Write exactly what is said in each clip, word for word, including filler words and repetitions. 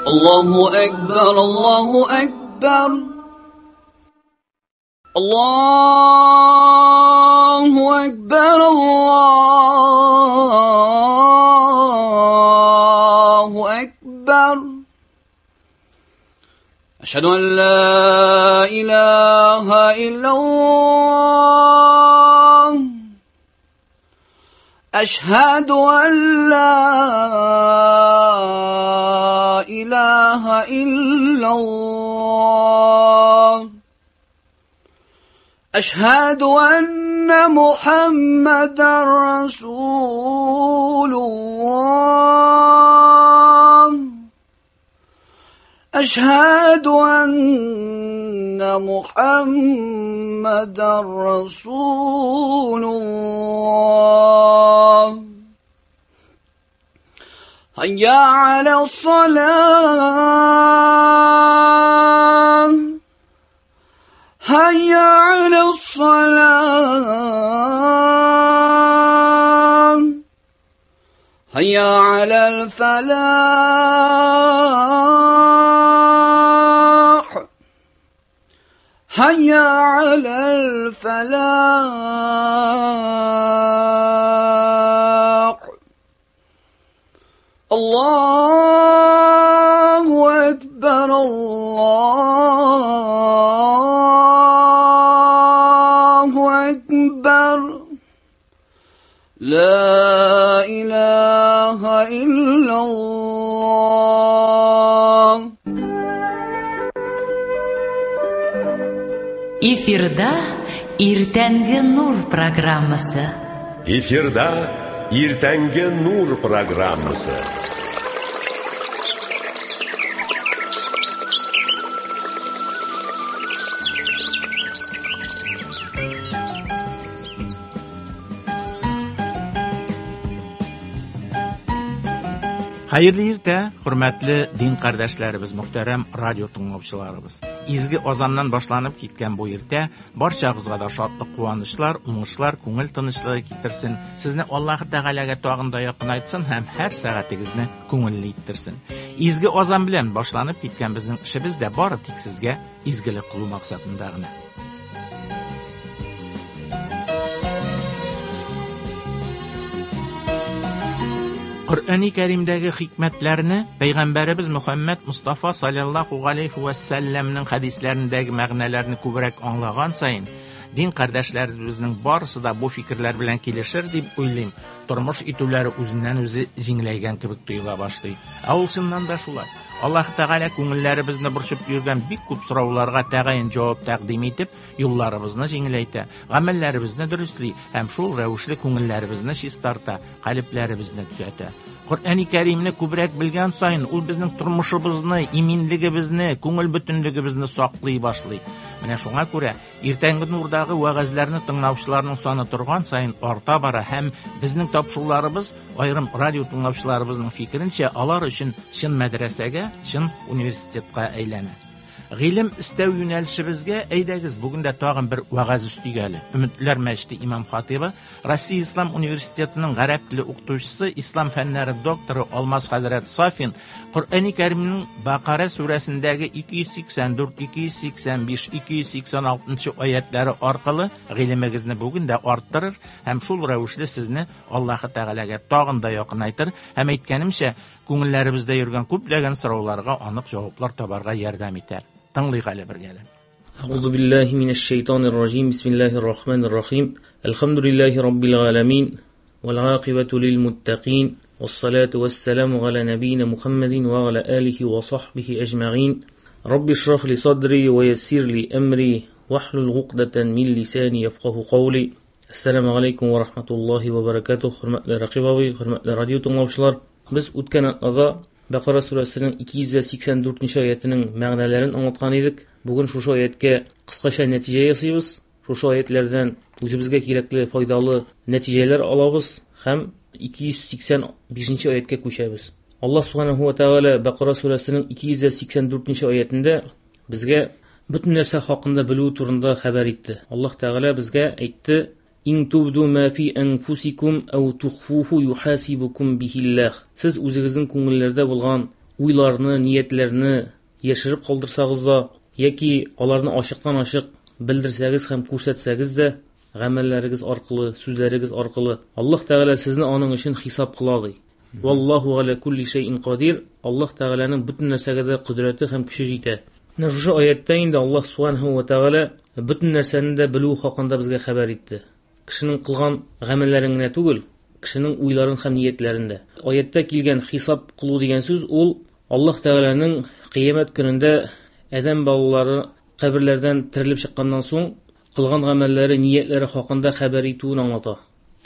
الله أكبر الله أكبر الله أكبر الله أكبر أشهد أن لا إله إلا الله أشهد أن لا إله إلا الله أشهد أن محمدا رسول الله أشهد أن محمدا رسول الله هيا على الصلاة هيا على الصلاة هيا على الفلاح هيا على الفلاح الله أكبر الله أكبر لا إله إلا الله. Эфирда Иртәнге Нур программасы. Эфирда Иртәнге Нур программасы. Хәерле иртә, хөрмәтле дин кардәшләребез, мөхтәрәм радио тыңлаучыларыбыз. Изге азаннан башланып киткән бу иртә барчагызга да шатлык, куанычлар, уңышлар, күңел тынычлыгы китерсен. Сезне Аллаһ Тәгаләгә тагын да якынайтсын һәм һәр сәгатегезне күңелле иттерсен. Изге азан белән башланып киткән безнең эшебез дә бары тик сезгә изгелек кылу максатында гына. Коръәни Кәримдәге хикмәтләрне Пәйгамбәребез Мөхәммәд Мустафа саллаллаһу галәйһи вә сәлләмнең хәдисләрендәге мәгънәләрне күбрәк аңлаган саен, дин кардәшләребезнең барысы да бу фикерләр белән килешер дип уйлыйм. Тормыш итүләре үзеннән үзе җиңеләйгән кебек тоела башлый. Ә ул чыннан да шулай. Аллаһ Тәгалә күңелләребезне борчып йөргән бик күп сорауларга тәгаен җавап тәкъдим итеп, юлларыбызны җиңеләйтә, гамәлләребезне дөресли һәм шул рәвешле күңелләребезне чистарта, калебләребезне төзәтә. Коръәни Кәримне күбрәк белгән саен ул безнең тормышыбызны, иминлегебезне, күңел бөтенлегебезне саклый башлый. Менә шуңа күрә иртәнге нурдагы вәгазьләрне тыңлаучыларның саны торган саен арта бара һәм безнең тапшыруларыбыз аерым радио тыңлаучыларыбызның фикеренчә алар өчен чын мәдрәсәгә, чын университетка әйләнә. Гыйлем истәү юнәлешебезгә әйдәгез бүген дә тагын бер вәгазь өстик әле. Өметләр мәчете имам хатибы, Россия Ислам университетының гарәп теле укытучысы, ислам фәннәре докторы Алмаз хәзрәт Сафин Коръәни Кәримнең Бакара сүрәсендәге ике йөз сиксән дүрт, ике йөз сиксән биш, ике йөз сиксән алтынчы аятлары аркылы гыйлемегезне бүген дә арттырыр һәм шул рәвешле сезне Аллаһы Тәгаләгә тагын да якынайтыр һәм әйткәнемчә, күңелләребездә йөргән күпләгән сорауларга анык җаваплар табарга ярдәм итәр. Тыңлыйк әле бергәләп. Әгъузу биллаһи минәш шайтанир раҗим. Бисмиллаһир рахманир рахим. Әлхәмдүлиллаһи раббил галәмин вәл гакыйбату лил муттакин вассалату вассаламу галя набийна Мухаммадин ва галя алихи ва сахбихи әҗмәгин. Рабби шрах ли садри ва яссир ли әмри вахлул гукдатан мин лисани яфкаху каули. Ассаламу алейкум ва рахматуллаһи ва баракатуһ. Хөрмәтле Рәкыйп абый, хөрмәтле радио тыңлаучылар, без үткән атнада Бакара сүрәсенең ике йөз сиксән дүртенче аятының мәгънәләрен аңлаткан идек. Бүген шушы аяткә кыскача нәтиҗә ясыйбыз. Шушы аятлардан үзебезгә кирәкле, файдалы нәтиҗәләр алабыз һәм ике йөз сиксән бишенче аяткә күчәбез. Аллаһ субханаһу ва тааля Бакара сүрәсенең ике йөз сиксән дүртенче аятында безгә бөтен нәрсә хакында белү турында хәбәр итте. Аллаһ Тәгалә безгә әйтте: Ин тубду ма фи анфусикум ау тухфуху юхасибукум бихиллах. Сез үзегезнең күңелләрдә булган уйларны, ниятләрне яшереп калдырсагыз да, яки аларны ачыктан-ачык белдерсәгез һәм күрсәтсәгез дә, гамәлләрегез аркылы, сүзләрегез аркылы Аллаһ Тәгалә сезне аның өчен хисап кыла, ди. Валлаһу галя кулли шәйин кадир. Аллаһ Тәгаләнең бөтен нәрсәгә дә кодрәте һәм көче җитә. Менә шушы аятта инде Аллаһ субханаһу ва тәгалә бөтен нәрсәне дә белү хакында безгә хәбәр итте. Кешенең кылган гамәлләрен генә түгел, кешенең уйларын һәм ниятләрен дә. Аятта килгән хисап кылу дигән сүз ул Аллаһ Тәгаләнең кыямәт көнендә адәм балалары каберләрдән терелеп чыкканнан соң кылган гамәлләре, ниятләре хакында хәбәр итүен аңлата.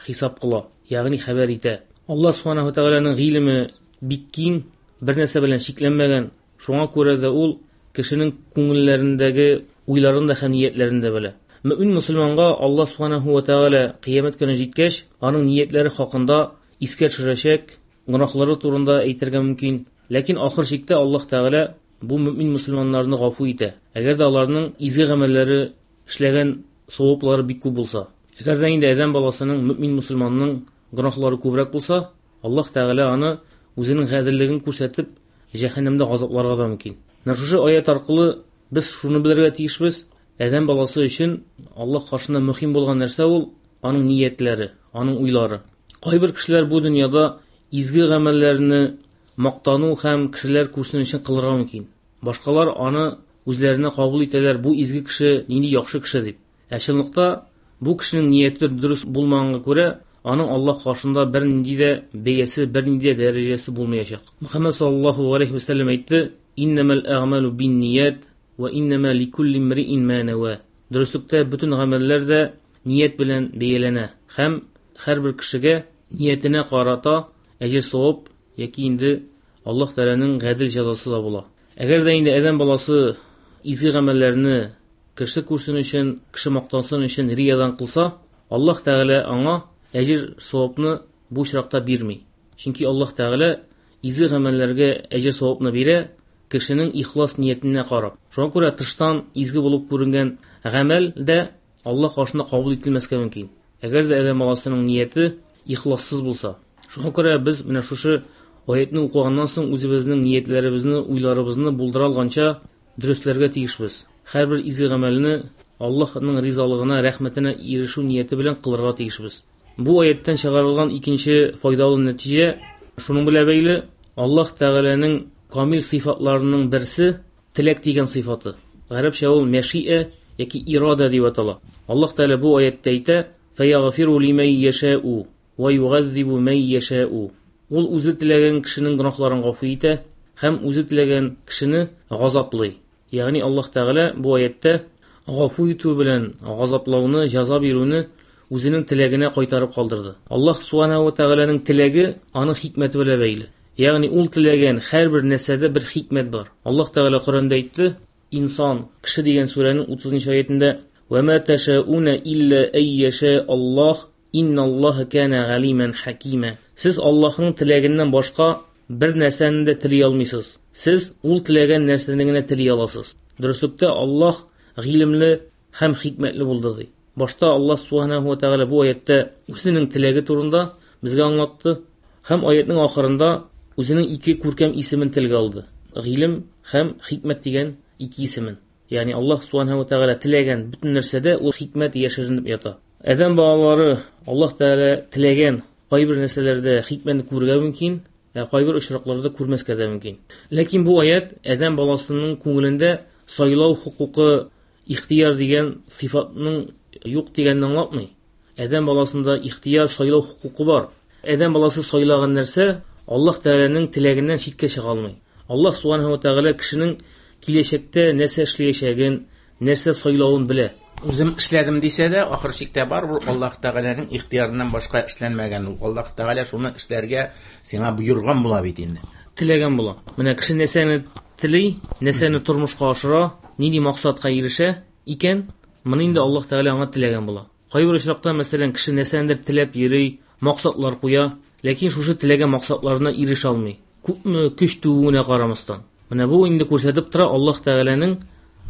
Хисап кыла, ягъни хәбәр итә. Аллаһ субханаһу ва тәгаләнең гыйлеме бик киң, бер нәрсә белән чикләнмәгән. Шуңа күрә дә ул кешенең күңелләрендәге уйларын да һәм ниятләрен дә белә. Мөмин мөселманга Аллаһ субханаһу ва тәгалә кыямәт көне җиткәч, аның ниятләре хакында искә төшерәчәк, гөнаһлары турында әйтергә мөмкин. Ләкин ахыр чиктә Аллаһ Тәгалә бу мөмин мөселманнарны гафу итә. Әгәр дә аларның изге гамәлләре, эшләгән саваплары бик күп булса. Әгәр дә инде адәм баласының, мөмин мөселманның гөнаһлары күбрәк булса, Аллаһ Тәгалә аны үзенең гаделлеген күрсәтеп, җәһәннәмдә газапларга да мөмкин. Менә шушы аят аркылы без шуны белергә тиешбез: адәм баласы өчен Аллаһ каршында мөһим булган нәрсә ул аның ниятләре, аның уйлары. Кайбер кешеләр бу дөньяда изге гамәлләрне мактану һәм кешеләр күрсен өчен кылырга мөмкин. Башкалар аны үзләренә кабул итәләр, бу изге кеше, нинди яхшы кеше дип. Ә чынлыкта бу кешенең нияте дөрес булмаганга күрә, аның Аллаһ каршында бер нинди дә бәясе, бер нинди дә дәрәҗәсе булмаячак. Мөхәммәд саллаллаһу алейһи ва сәлләм әйтте: "Иннамал әгъмалу бинният ва иннама ликулли имриин ма нава". Дөреслектә бөтен гамәлләр дә ният белән бәяләнә һәм һәрбер кешегә ниятенә карата әҗер савап яки инде Аллаһ Тәгаләнең гадел җәзасы да була. Әгәр дә инде адәм баласы изге гамәлләрне кеше күрсен өчен, кеше мактансын өчен риядан кылса, Аллаһ Тәгалә аңа әҗер савапны бу очракта бирми. Чөнки Аллаһ Тәгалә изге гамәлләргә әҗер савапны бирә кешенең ихлас ниятенә карап. Шуңа күрә тыштан изге булып күренгән гамәл дә Аллаһ каршында кабул ителмәскә мөмкин. Әгәр дә адәм баласының нияте ихлассыз булса. Шуңа күрә без менә шушы аятны укыганнан соң үзебезнең ниятләребезне, уйларыбызны булдыра алганча дөресләргә тиешбез. Һәрбер изге гамәлне Аллаһның ризалыгына, рәхмәтенә ирешү нияте белән кылырга тиешбез. Бу аяттан чыгарылган икенче файдалы нәтиҗә шуның белән бәйле: Аллаһ Тәгаләнең камил сыйфатларының берсе теләк дигән сыйфаты. Гарәпчә ул мәшиә яки ирада дип атала. Аллаһ Тәгалә бу аятта әйтә: "Фәягфиру лимән яшәу ва югаззибу мән яшәу". Ул үзе теләгән кешенең гөнаһларын гафу итә һәм үзе теләгән кешене газаплый. Ягъни Аллаһ Тәгалә бу аятта гафу итү белән газаплауны, җәза бирүне үзенең теләгенә кайтарып калдырды. Аллаһ субханаһу ва тәгаләнең теләге аның хикмәте белән бәйле. Ягъни ул теләгән һәрбер нәрсәдә бер хикмәт бар. Аллаһ Тәгалә Коръәндә әйтте: "Инсан, кеше" дигән сүрәнең утызынчы аятендә: "Ва ма ташауна илля ай яша Аллаһ, инналлаһа кана галиман хакима". Сез Аллаһның теләгеннән башка бер нәрсәне дә тели алмыйсыз. Сез ул теләгән нәрсәне генә тели аласыз. Дөреслектә Аллаһ гыйлемле һәм хикмәтле булды, ди. Башта Аллаһ субханаһу ва тәгалә бу аятта үзенең теләге турында безгә аңлатты һәм аятның ахырында үзенең ике күркәм исемен телгә алды. Гыйлем һәм хикмәт дигән ике исемен. Ягъни Аллаһ субханаһу ва тәгалә теләгән бөтен нәрсәдә ул хикмәт яшеренеп ята. Адәм балалары Аллаһ Тәгалә теләгән кайбер нәрсәләрдә хикмәтне күрергә мөмкин, ә кайбер очракларда күрмәскә дә мөмкин. Ләкин бу аят адәм баласының күңелендә сайлау хокукы, ихтияр дигән сыйфатның юк дигәнне аңлатмый. Адәм баласында ихтияр, сайлау хокукы бар. Адәм баласы сайлаган нәрсә Аллаһ Тәгаләнең теләгеннән читкә чыга алмый. Аллаһ субханаһу ва тәгалә кешенең киләчәктә нәрсә эшләячәген, нәрсә сайлавын белә. Үзем эшләдем дисә дә, ахыр чиктә барыбер Аллаһ Тәгаләнең ихтиярыннан башка эшләнмәгән ул. Аллаһ Тәгалә шуны эшләргә сиңа боерган була бит инде. Теләгән була. Менә кеше нәрсәне тели, нәрсәне тормышка ашыра, нинди максатка ирешә икән, моны инде Аллаһ Тәгалә аңа теләгән була. Кайбер очракта, мәсәлән, кеше нәрсәнедер теләп йөри, максатлар куя, ләкин шушы теләгән максатларына ирешә алмый. Күпме көч түгүенә карамастан. Менә бу инде күрсәтеп тора Аллаһ Тәгаләнең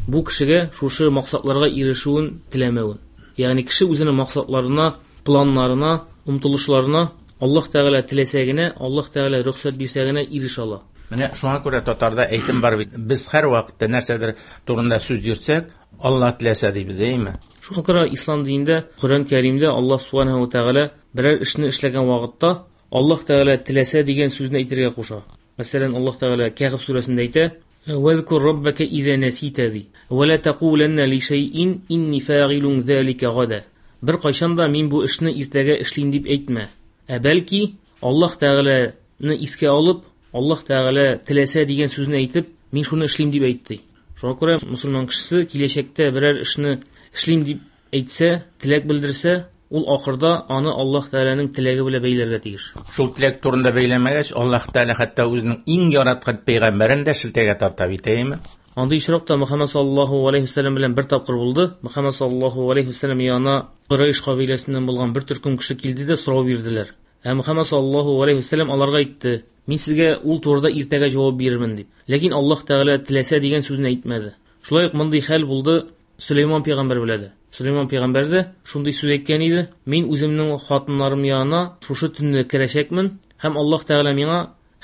бу кешегә шушы максатларга ирешүен теләмәвен. Ягъни кеше үзенең максатларына, планнарына, омтылышларына Аллаһ Тәгалә теләсә генә, Аллаһ Тәгалә рөхсәт бирсә генә ирешә ала. Менә шуңа күрә татарда әйтем бар бит. Без һәр вакытта нәрсәдер турында сүз йөртсәк, Алла теләсә дибез, әйме? Шуңа күрә ислам динендә, Коръән Кәримдә Аллаһ субханаһу ва тәгалә берәр эшне эшләгән вакытта Аллаһ Тәгалә теләсә дигән сүзне әйтергә куша. Мәсәлән, Аллаһ Тәгалә Кәһф сүрәсендә әйтә: "Вазкур раббака иза насита" ди. "Ва ла тaqуланна ли шайин инни фагилун залика гада." Бер кайчан да мин бу эшне иртәгә эшлим дип әйтмә. Ә бәлки Аллаһ Тәгаләне искә алып, Аллаһ Тәгалә теләсә дигән сүзне әйтеп, мин шуны эшлим дип әйтте. Шуңа күрә мусульман кешесе киләчәктә берәр эшне эшлим дип әйтсә, теләк белдерсә, ул ахырда аны Аллаһ Тәгаләнең теләге белән бәйләргә тиеш. Шул теләк турында бәйләмәгәч, Аллаһ Тәгалә хәтта үзенең иң яраткан пәйгамбәрен дә шелтәгә тарта бит, әйеме? Андый очракта Мөхәммәд саллаллаһу алейһи вәсәлләм белән бер тапкыр булды. Мөхәммәд саллаллаһу алейһи вәсәлләм янына Курайш кабиләсеннән булган бер төркем кеше килде дә сорау бирделәр. Ә Мөхәммәд саллаллаһу алейһи вәсәлләм аларга әйтте: "Мин сезгә ул турыда иртәгә җавап бирермен" дип. Ләкин Аллаһ Тәгалә теләсә дигән сүзне әйтмәде. Шулай ук мондый хәл булды Сөләйман пәйгамбәр белән дә. Сөләйман пәйгамбәр дә шундый сүз әйткән иде: "Мин үземнең хатыннарым янына шушы төнне керәчәкмен һәм Аллаһ Тәгалә миңа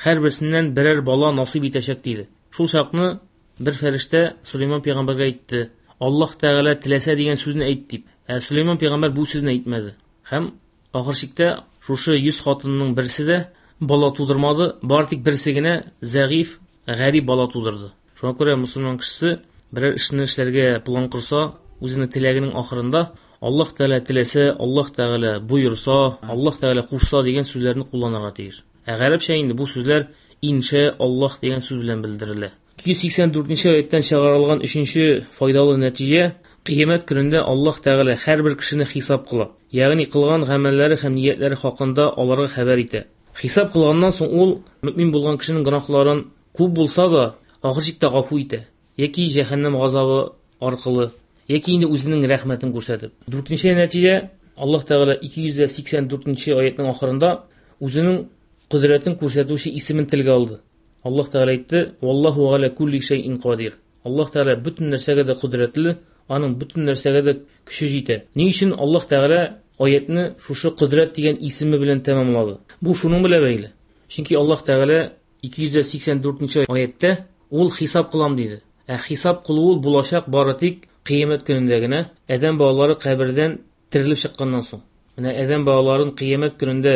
һәрберсеннән берәр бала насыйп итәчәк" диде. Шул чакны бер фәрештә Сөләйман пәйгамбәргә әйтте: "Аллаһ Тәгалә теләсә дигән сүзне әйт" дип. Ә Сөләйман пәйгамбәр бу сүзне әйтмәде. Һәм ахыр чиктә шушы йөз хатынның берсе дә бала тудырмады, бары тик берсе генә зәгыйф, гарип бала тудырды. Шуңа күрә мусульман кешесе берәр эшне эшләргә план корса, үзенең теләгенең ахырында Аллаһ Тәгалә теләсә, Аллаһ Тәгалә боерса, Аллаһ Тәгалә кушса дигән сүзләрне кулланырга тиеш. Ә гарәпчә инде бу сүзләр инша Аллаһ дигән сүз белән белдерелә. ике йөз сиксән дүртенче аяттан чыгарылган өченче файдалы нәтиҗә: кыямәт көнендә Аллаһ Тәгалә һәрбер кешене хисап кыла, ягъни кылган гамәлләре һәм ниятләре хакында аларга хәбәр итә. Хисап кылганнан соң ул мөмин булган кешенең гөнаһларын күп булса да ахыр чиктә гафу итә, яки җәһәннәм газабы аркылы, яки инде үзенең рәхмәтен күрсәтеп. Дүртенче нәтиҗә: Аллаһ Тәгалә ике йөз сиксән дүртенче аятның ахырында үзенең кодрәтен күрсәтүче исемен телгә алды. Аллаһ Тәгалә әйтте: "Валлаһу галя кулли шәйин кадир." Аллаһ Тәгалә бөтен нәрсәгә дә кодрәтле, аның бөтен нәрсәгә дә көче җитә. Ни өчен Аллаһ Тәгалә аятны шушы кодрәт дигән исеме белән тәмамлады? Бу шуның белән бәйле. Чөнки Аллаһ Тәгалә ике йөз сиксән дүртенче аяттә ул хисап кылам диде. Ә хисап кылу ул булачак бары тик кыямәт көнендә генә, адәм балалары кабердән терелеп чыкканнан соң. Менә адәм балаларын кыямәт көнендә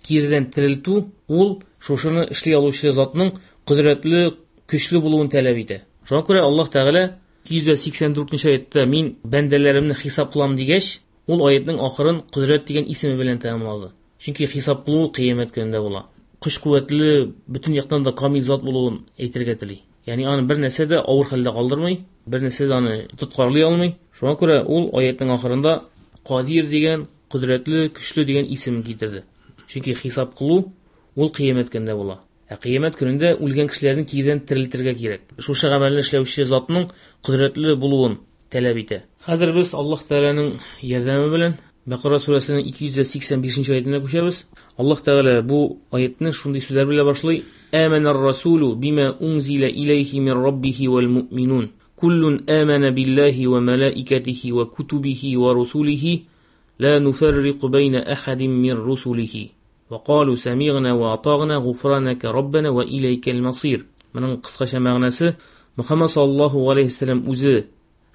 кирдән терелтү ул шушыны эшли алучы затның кодрәтле, көчле булуын таләп итә. Шуңа күрә Аллаһ Тәгалә ике йөз сиксән дүртенче аятта мин бәндәләремне хисап кылам дигәч, ул аятның ахырын кодрәт дигән исеме белән тәмамлады. Чөнки хисап кылу кыямәт көнендә була. Көч куәтле, бөтен яктан да камил зат булуын әйтергә тели. Ягъни аны бер нәрсә дә авыр хәлдә калдырмый, бер нәрсә дә аны тоткарлый алмый. Шуңа күрә ул аятның ахырында Кадир дигән, кодрәтле, көчле дигән исемен китерде. Чөнки хисап кылу ул кыямәт көнендә була. Ә кыямәт көнендә үлгән кешеләрне кирдән терелтергә кирәк. Шушы гамәлне эшләүче затның кодрәтле булуын таләп итә. Хәзер без Аллаһ Тәгаләнең ярдәме белән Бакара сүрәсенең ике йөз сиксән бишенче аятына күчәбез. Аллаһ Тәгалә бу аятны шундый сүзләр белән башлый: "Амана ар-расулу бима унзила илейхи мин раббихи вал муъминун. Куллун амана биллахи ва малаикатихи ва кутубихи ва русулихи ла нуфаррику байна ахадин мин русулихи. Ва калу самигъна ва атагъна гуфранaka раббана ва илейкал масир." Моның кыскача мәгънәсе: Мөхәммәд саллаллаһу алейһи ва сәлләм үзе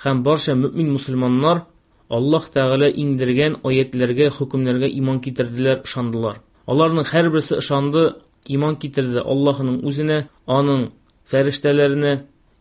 һәм барча мөмин мусульманнар Аллаһ Тәгалә иңдергән аятларга, хөкемнәргә иман китерделәр, ышандылар. Аларның һәрберсе ышанды, иман китерде Аллаһның үзенә, аның фәрештәләренә,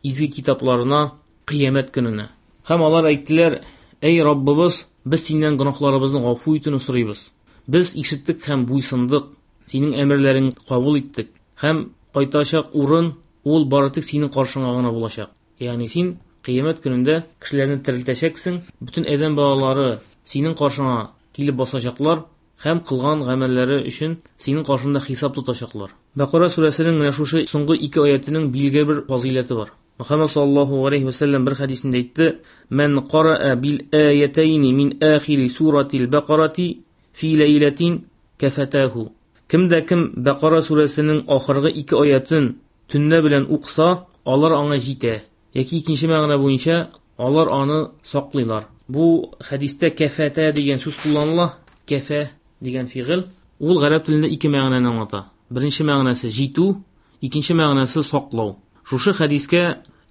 изге китапларына, кыямәт көненә. Һәм алар әйттеләр: "Эй Раббыбыз, без синнән гөнаһларыбызны гафу итүне сорыйбыз. Без ишеттек һәм буйсындык, синең әмерләреңне кабул иттек. Һәм кайтачак урын ул бары тик синең каршыңа гына булачак." Ягъни син кыямәт көнендә кешеләрне терелтәчәксең, бөтен адәм балалары синең каршыңа килеп басачаклар һәм кылган гамәлләре өчен синең каршыңда хисап тотачаклар. Бакара сүрәсенең менә шушы соңгы ике аятының билгеле бер фазыйләте бар. Мөхәммәд саллаллаһу алейһи ва сәлләм бер хәдисендә әйтте: "Ман қараа бил аятайни мин ахири суратил Бакарати фи ләйләтин кафатаху." Кемдә кем Бакара сүрәсенең ахыргы ике аятын төнлә белән укыса, алар аңа җитә. Яки икенче мәгънә буенча алар аны саклыйлар. Бу хәдистә кафата дигән сүз кулланыла. Кафа дигән фигыль ул гарәп телендә ике мәгънәне аңлата. Беренче мәгънәсе җитү, икенче мәгънәсе саклау. Шушы хәдискә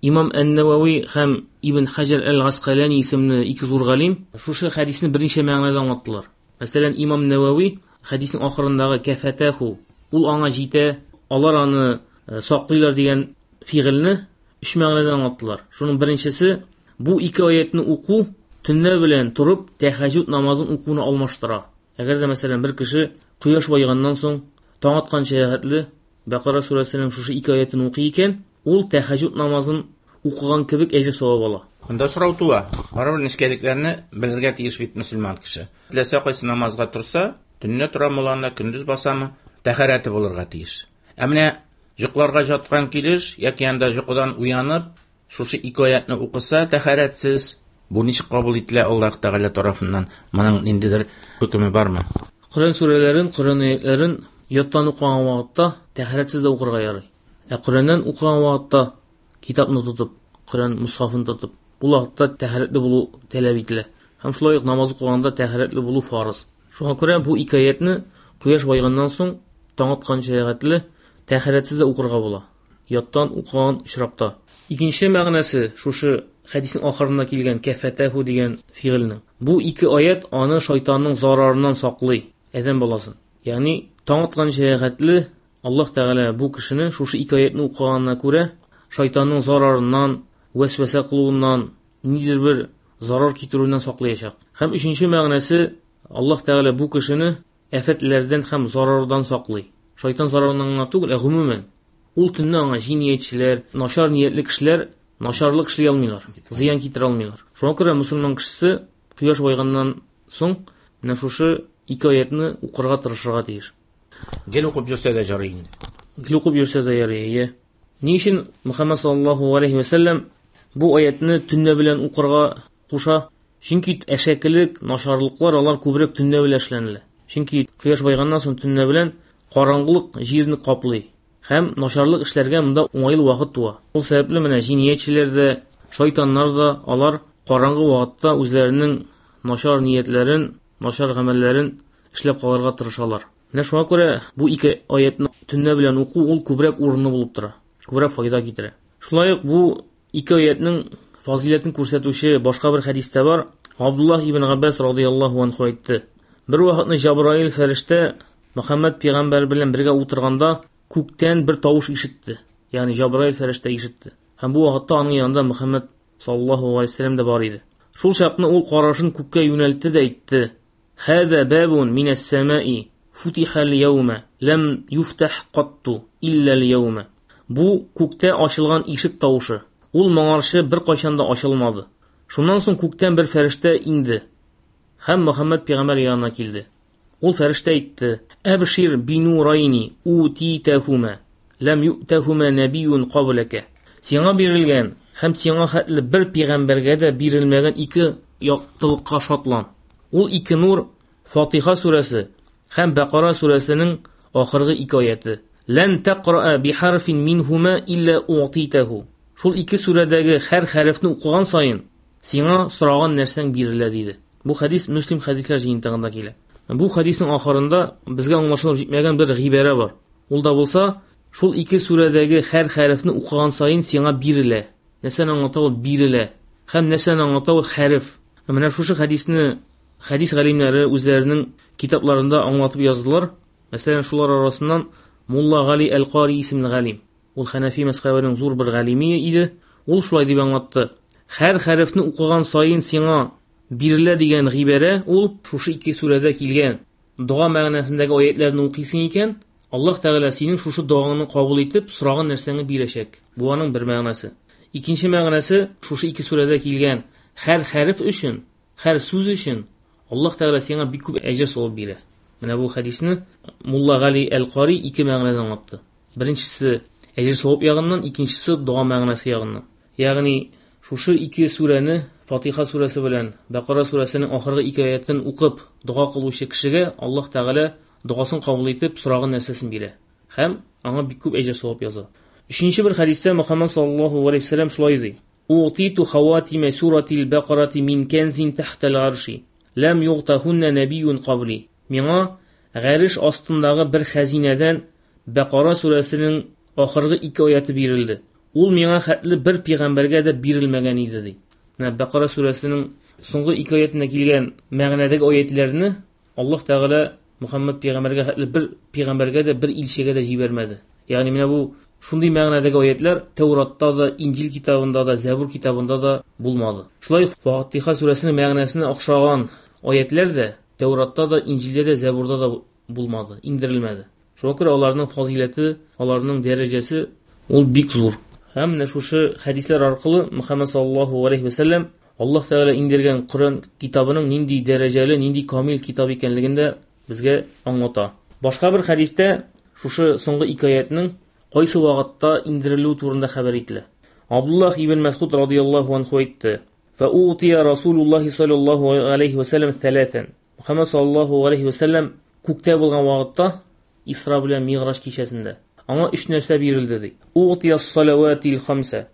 Имам Ән-Навави һәм Ибн Хаҗар әл-Гаскалани исемле ике зур галим шушы хәдисне берничә мәгънәдә аңлаттылар. Мәсәлән, Имам Навави хәдиснең ахырындагы кафатаху, ул аңа җитә, алар аны саклыйлар дигән фигыльне өч мәгънәдә аңлаттылар. Шуның беренчесе, бу ике аятны уку төнлә белән торып тәһәҗҗүд намазын укуны алмаштыра. Әгәр дә мәсәлән бер кеше кояш баеганнан соң таң атканча хәтле Бәкара сүрәсенең шушы ике аятын укый икән, ул тәһәҗҗүд намазын укыган кебек әҗер савап ала. Монда сорау туа. Барыбер нечкәлекләрне белергә тиеш бит мөселман кеше. Теләсә кайсы намазга торса, төнлә тора мулланы, көндез басамы, тәһарәте булырга тиеш. Ә менә йокларга жаткан килеш яки анда йокыдан уянып, шушы ике аятны укыса, тәһарәтсез, бу ничек кабул ителә Аллаһ Тәгалә тарафыннан? Моның ниндидер хөкеме бармы? Коръән сүрәләрен, Коръән аятларын яттан укыган вакытта тәһарәтсез дә укырга ярый. Ә Коръәннән укыган вакытта китапны тотып, Коръән мусхафын тотып, бу вакытта тәһарәтле булу таләп ителә. Һәм шулай ук намаз укыганда тәһарәтле булу фарыз. Шуңа күрә бу ике аятны кояш баеганнан соң таң атканча хәтле тәһарәтсез дә укырга була. Яттан укыган очракта. Икенче мәгънәсе шушы хәдиснең ахырында килгән кафатаху дигән фигыльнең. Бу ике аят аны шайтанның зарарыннан саклый, адәм баласын. Ягъни таң атканча хәтле Аллаһ Тәгалә бу кешене шушы ике аятны укыганына күрә шайтанның зарарыннан, вәсвәсә кылуыннан, ниндидер бер зарар китерүеннән саклаячак. Һәм өченче мәгънәсе, Аллаһ Тәгалә бу кешене афәтләрдән һәм зарардан саклый. Шайтан зарарыннан гына түгел, ә гомумән. Ул төнне аңа җинаятьчеләр, начар ниятле кешеләр начарлык эшли алмыйлар, зыян китерә алмыйлар. Шуңа күрә мөселман кешесе кояш баеганнан соң менә шушы ике аятны укырга тырышырга тиеш. Гел укып йөрсә дә ярый инде. Гел укып йөрсә дә ярый, әйе. Ни өчен Мөхәммәд саллаллаһу алейхи ва сәлләм бу аятны төнлә белән укырга куша? Чөнки әшәкелек, начарлыклар алар күбрәк төнлә белән эшләнелә. Чөнки кояш баеганнан соң төнлә белән караңгылык җирне каплый. Һәм начарлык эшләргә монда уңайлы вакыт туа. Ул сәбәпле менә җинаятьчеләр дә, шайтаннар да алар караңгы вакытта үзләренең начар ниятләрен, начар гамәлләрен эшләп калырга тырышалар. Менә шуңа күрә бу ике аятны төнлә белән уку ул күбрәк урынлы булып тора, күбрәк файда китерә. Шулай ук бу ике аятның фазиләтен күрсәтүче башка бер хәдистә бар. Абдуллаһ ибн Габбас радыяллаһу анху әйтте: бер вакытны Җабраил фәрештә Мөхәммәд пәйгамбәр белән бергә утырганда күктән бер тавыш ишетте. Ягъни Җабраил фәрештә ишетте. Һәм бу вакытта аның янында Мөхәммәд саллаллаһу алейһи ва сәлләм дә бар иде. Шул чакны ул карашын күккә юнәлтте дә әйтте: "Хәзә бабун минәс самаи футиха ал-яума лам юфтах катту илля ал-яума." Бу күктә ачылган ишек тавышы. Ул моңарчы бер кайчан да ачылмады. Шуннан соң күктән бер фәрештә инде һәм Мөхәммәд пәйгамбәр янына килде. Ул фәрештә әйтте: "Әбшир бинурайни утитахума лам ю'тахума набиюн каблака." Сиңа бирелгән һәм сиңа хәтле бер пәйгамбәргә дә бирелмәгән ике яктылыкка шатлан. Ул ике нур Фатиха сүрәсе һәм Бәкара сүрәсенең ахыргы ике аяты. Лан тaqra бихарфин минһума илля у'титаху. Шул ике сүрәдәге һәр хәрефне укыган саен сиңа сораган нәрсәң бирелә диде. Бу хәдис Муслим хәдисләр җыентыгында килә. Бу хәдиснең ахырында безгә аңлашылып җитмәгән бер гыйбарә бар. Ул да булса, шул ике сүрәдәге һәр хәрефне укыган саен сиңа бирелә. Нәрсәне аңлата ул бирелә? Һәм нәрсәне аңлата ул хәреф? Менә шушы хәдисне хәдис галимнәре үзләренең китапларында аңлатып яздылар. Мәсәлән, шулар арасыннан Мулла Гали әл-Кари исемле галим. Ул Хәнәфи мәзһәбенең зур бер галиме иде. Ул шулай дип аңлатты: һәр хәрефне укыган саен сиңа бирелә дигән гыйбарә ул шушы ике сүрәдә килгән дога мәгънәсендәге аятларны укыйсың икән, Аллаһ Тәгалә синең шушы догаңны кабул итеп, сораган нәрсәңне бирәчәк. Бу аның бер мәгънәсе. Икенче мәгънәсе шушы ике сүрәдә килгән һәр хәреф өчен, һәр сүз өчен Аллаһ Тәгалә сиңа бик күп әҗер савап бирә. Менә бу хәдисне Мулла Гали әл-Кари ике мәгънәдә аңлатты. Беренчесе әҗер савап ягыннан, икенчесе дога мәгънәсе ягыннан. Ягъни шушы ике сүрәне Фатиха сүрәсе белән Бәкара сүрәсенең ахыргы ике аятын укып дога кылучы кешегә Аллаһ Тәгалә догасын кабул итеп сораган нәрсәсен бирә һәм аңа бик күп әҗер савап яза. Өченче бер хәдистә Мөхәммәд саллаллаһу алейһи ва сәлләм шулай ди: "Утиту хаватима суратил Бакарати мин канзин тахтал арши лам югтахунна набиюн кабли." Миңа гареш астындагы бер хәзинәдән Бакара сүрәсенең ахыргы ике аяты бирелде. Ул миңа хәтле бер пәйгамбәргә дә бирелмәгән иде ди. Менә Бакара сүрәсенең соңгы ике аятына килгән мәгънәдәге аятларны Аллаһ Тәгалә Мөхәммәд пәйгамбәргә хәтле бер пәйгамбәргә дә, бер илчегә дә җибәрмәде. Ягъни менә бу шундый мәгънәдәге аятлар Тәүратта да, Инҗил китабында да, Зәбур китабында да булмады. Шулай ук Фатиха сүрәсенең мәгънәсенә охшаган аятлар да Тәүратта да, Инҗилдә дә, Зәбурда да булмады, индерелмәде. Шуңа күрә аларның фазиләте, аларның дәрәҗәсе ул бик зур. Һәм менә шушы хәдисләр аркылы Мөхәммәд саллаллаһу алейһи ва сәлләм Аллаһ Тәгалә индергән Коръән китабының нинди дәрәҗәле, нинди камил китап икәнлеген дә безгә аңлата. Башка бер хәдистә шушы соңгы ике аятның кайсы вакытта индерелүе турында хәбәр ителә. Абдуллаһ ибн Мәсгуд радыяллаһу анху әйтте: "Фаутия Расулуллаһи саллаллаһу алейһи ва сәлләм thalathan." Мөхәммәд саллаллаһу алейһи ва сәлләм күктә булган вакытта Исра белән Мигъраҗ кичәсендә аңа өч нәрсә бирелде ди. Угтия салаватил хамса.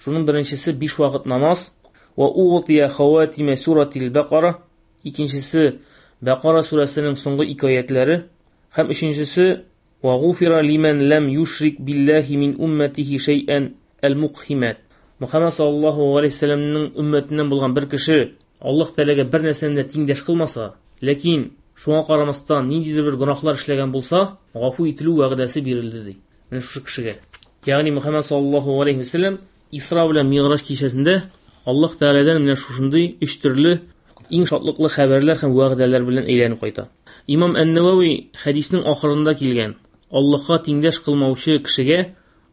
Шуның беренчесе биш вакыт намаз, ва угтия хаватима суратил Бакара, икенчесе Бакара сүрәсенең соңгы ике аятлары, һәм өченчесе ва гуфира лиман лам юшрик биллаһи мин умматихи шәйән әл-мукхимат. Мөхәммәд саллаллаһу алейһи ва сәлләмнең өммәтеннән булган бер кеше Аллаһ Тәгаләгә бер нәрсәне дә тиңдәш кылмаса, ләкин шуңа карамастан ниндидер бер гөнаһлар эшләгән булса, гафу ителү вәгъдәсе бирелде ди. Менә шушы кешегә. Ягъни Мөхәммәд саллаллаһу алейһи ва сәлләм Исра белән Мигъраҗ кичәсендә Аллаһ Тәгаләдән менә шушындый өч төрле иң шатлыклы хәбәрләр һәм вәгъдәләр белән әйләнеп кайта. Имам Ән-Навави хәдиснең ахырында килгән Аллаһка тиңдәш кылмаучы кешегә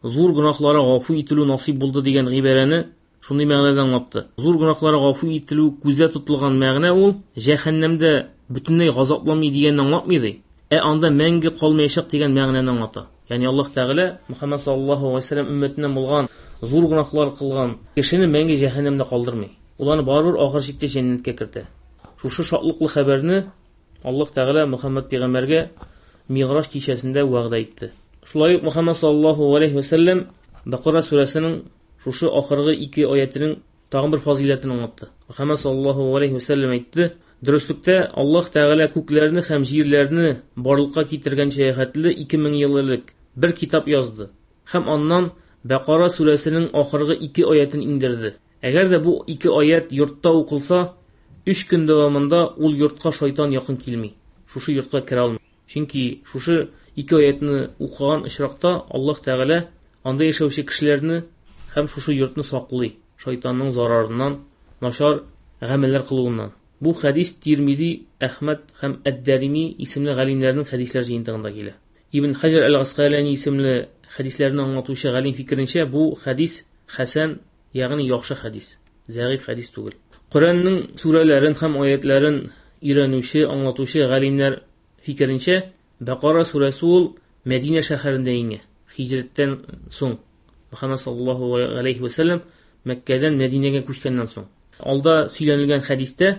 зур гөнаһлары гафу ителү насыйп булды дигән гыйбарәне шундый мәгънәдә аңлатты. Зур гөнаһлары гафу ителү күздә тотылган мәгънә ул җәһәннәмдә бөтенләй газапламый дигәнне аңлатмый ди. Ә анда мәңге калмаячак дигән мәгънәне аңлата. Ягъни Аллаһ Тәгалә Мөхәммәд саллаллаһу алейһи ва сәлләм өммәтеннән булган зур гөнаһлар кылган кешене мәңге җәһәннәмдә калдырмый. Уларны барыбер ахыр чиктә җәннәткә кертә. Шушы шатлыклы хәбәрне Аллаһ Тәгалә Мөхәммәд пәйгамбәргә Мигъраҗ кичәсендә вәгъдә итте. Шулай ук Мөхәммәд саллаллаһу алейһи ва сәлләм Бакара сүрәсенең шушы ахыргы ике аятының тагын бер фазиләтен аңлатты. Мөхәммәд саллаллаһу алейһи ва сәлләм әйтте: "Дөреслектә Аллаһ Тәгалә күкләрне һәм җирләрне барлыкка китергәнчә хәтле ике мең ел элек бер китап язды һәм аннан Бакара сүрәсенең ахыргы ике аятын индерде. Әгәр дә бу ике аят йортта укылса, өч көн дәвамында ул йортка шайтан якын килми. Шушы йортка керә алмый. Чөнки шушы ике аятны укыган очракта Аллаһ Тәгалә анда яшәүче кешеләрне һәм шушы йортны саклый шайтанның зарарыннан, начар гамәлләр кылуыннан. Бу хәдис Тирмизи, Әхмәд һәм Әд-Дарими исемле галимнәрнең хәдисләр җыентыгында килә. Ибн Хаҗар әл-Гаскалани исемле хәдисләрне аңлатучы галим фикеренчә, бу хәдис хәсән, ягъни яхшы хәдис, зәгыйфь хәдис түгел. Коръәннең сүрәләрен һәм аятларын өйрәнүче, аңлатучы галимнәр фикеренчә, Бакара сүрәсе ул Мәдинә шәһәрендә иңә, һиҗрәттән соң. Мөхәммәд саллаллаһу алейһи ва сәлләм Мәккәдән Мәдинәгә күчкәннән соң. Алда сөйләнелгән хәдистә